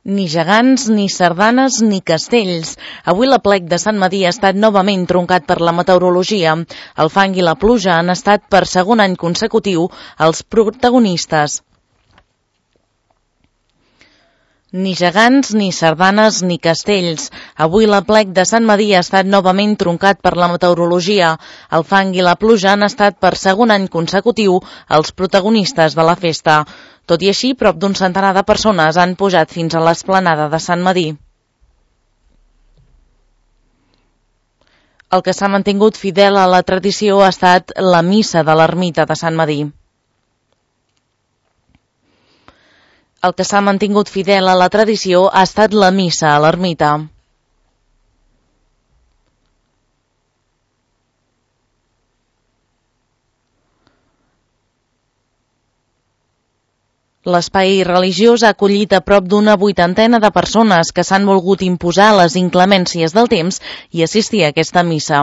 Ni gegants, ni sardanes, ni castells. Avui l'aplec de Sant Medir ha estat novament truncat per la meteorologia. El fang i la pluja han estat per segon any consecutiu els protagonistes. Ni gegants, ni sardanes, ni castells. Avui l'aplec de Sant Medir ha estat novament truncat per la meteorologia. El fang i la pluja han estat per segon any consecutiu els protagonistes de la festa. Tot i així, prop d'un centenar de persones han pujat fins a l'esplanada de Sant Medir. El que s'ha mantingut fidel a la tradició ha estat la missa de l'ermita de Sant Medir. El que s'ha mantingut fidel a la tradició ha estat la missa a l'ermita. L'espai religiós ha acollit a prop d'una 80 de persones que s'han volgut imposar a les inclemències del temps i assistir a aquesta missa.